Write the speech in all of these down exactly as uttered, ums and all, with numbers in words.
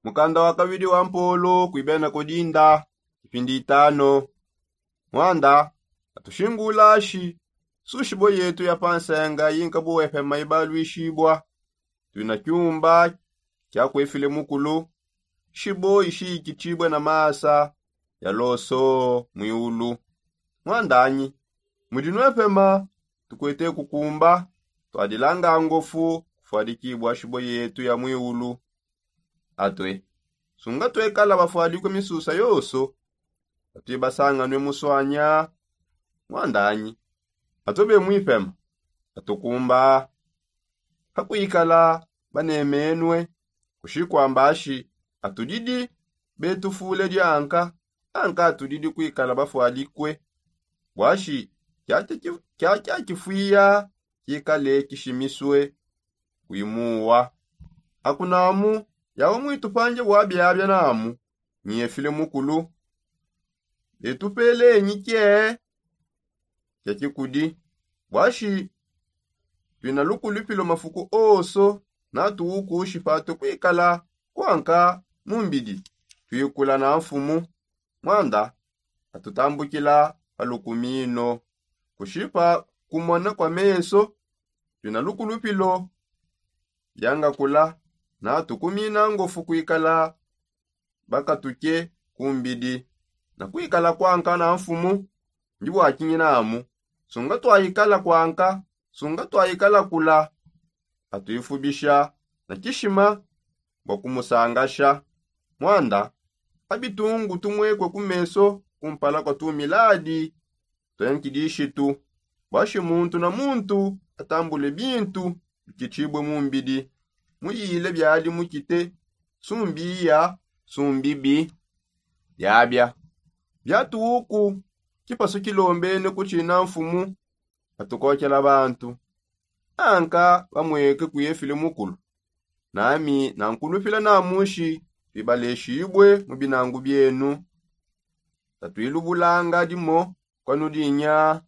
Mukanda wa kabidi wa mpolo kuibena kodinda, ipindi itano. Mwanda, atushingulashi sushibo yetu ya pansenga yinka buwepema ibalwishibwa. Twina kyumba kya kwefile mukulu, shibo ishiyikitshibwe na masa ya loso mwiulu. Mwandanyi, mudi nwepema tukwete kukumba, twadilanga ngofu kufwadikibwa shibo yetu ya mwiulu. Atwe, sunga twekala bafwadikwe misusa yoso, atwibasanganwe muswanya. Mwandanyi, atwe bemwipema, atukumba hakwikala banemenwe, kushikwambashi atudidi betufule dianka, anka atudidi kwikala bafwadikwe. Bwashi kyakya kifwiya kikale kishimiswe kwimuwa. Akunamu, yawe mwitupanje bwa byabya namu, nyefile mukulu, betupelenyi kye kya kikudi. Bwashi twina lukulupilo mafuku oso, natuwukushi patwe kwikala kwanka mumbidi twikula na mfumu. Mwanda, atutambukila palukumino kushipa kumona kwa meso. Twina lukulupilo byangakula, natukumina ngofu kwikala bakatuke kumbidi na kwikala kwanka na mfumu. Ndi bwakinyinamu, sunga twayikala kwanka, sunga twayikala kula, atwifubisha na kishima bwa kumusangasha. Mwanda, abitungu tumwekwe ku meso kumpala kwa tumiladi twa nkidishitu, bwashi muntu na muntu atambule bintu bikitshibwe mu mbidi, muyile byadi mukite sumbiya sumbibi. Byabya byatuuku kipasu kilombene kutshina mfumu atukokela bantu, anka bamweke kuyefile mukulu. Nami nankulupila namushi twibaleshibwe mu binangu byenu, tatwilubulanga dimo kwanudinya,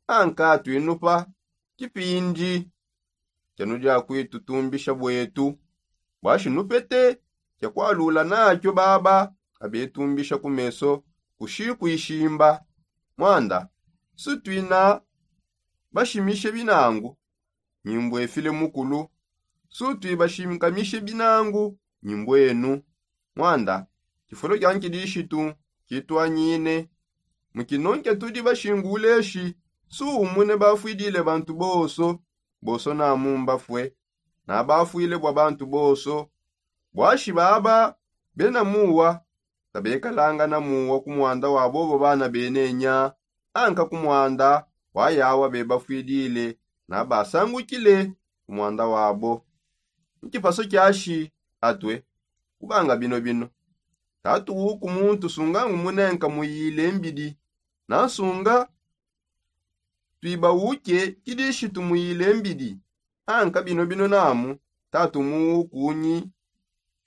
anka twinupa kipindi kyanudia kwitutumbisha bwetu. Bwashi nupete kya kwalula nakyo baba abetumbisha ku meso kushi kwishimba. Mwanda, sutwina bashimishe binangu, nyimbwefile mukulu, sutwibashinkamishe binangu, nyimbwenu. Mwanda, kifulo kya nkidishitu kitwanyine mu kinonke tudi bashinguleshi, suumune bafwidile bantu boso, boso namu mbafwe nabafwile bwa bantu boso. Bwashi baba bena muwa kabekalanga na muwa ku mwanda wa bobo bana benenya, anka ku mwanda wa yawa bebafwidile nabasangukile ku mwanda wabo. Nkipaso kyashi atwe kubanga bino bino, tatu wuku muntu sungangu munenka muyile mbidi, nansunga twiba uke kidishitu muyile mbidi, anka bino bino namu tatu muwukunyi,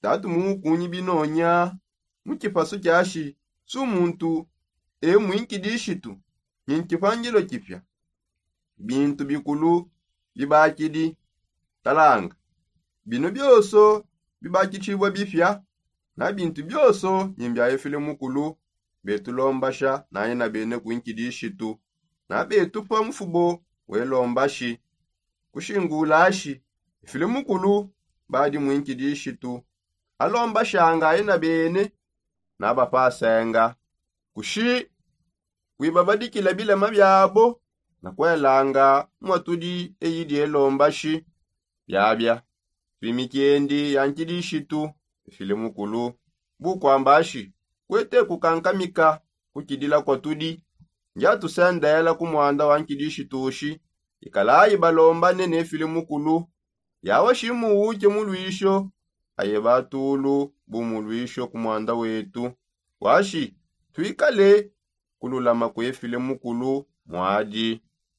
tatu muwukunyi binonya. Mu kipasu kyashi su muntu e mwinkidishitu ni nkipangilo kipya. Bintu bikulu bibakidi, talanga, bino byoso bibakitshibwa bipya, na bintu byoso ni mbya efile mukulu. Betulombasha naye na bene ku nkidishitu, na betupa mufubo welombashi kushingulashi. Efile mukulu badi mu nkidishitu alombashanga aye na bene nabapasenga kushi kwibabadikila bilema byabo na kwelanga mwatudi eyidi elombashi. Byabya twimikiendi ya nkidishitu efile mukulu bukwambashi kwete kukankamika kukidila kwatudi. Ndyatusendela ku mwanda wa nkidishitushi ikalayi balombane nefile mukulu yawa shimuwuke mu lwisho aye batulu bu mu lwisho ku mwanda wetu. Washi twikale kululama kwefile mukulu mwadi.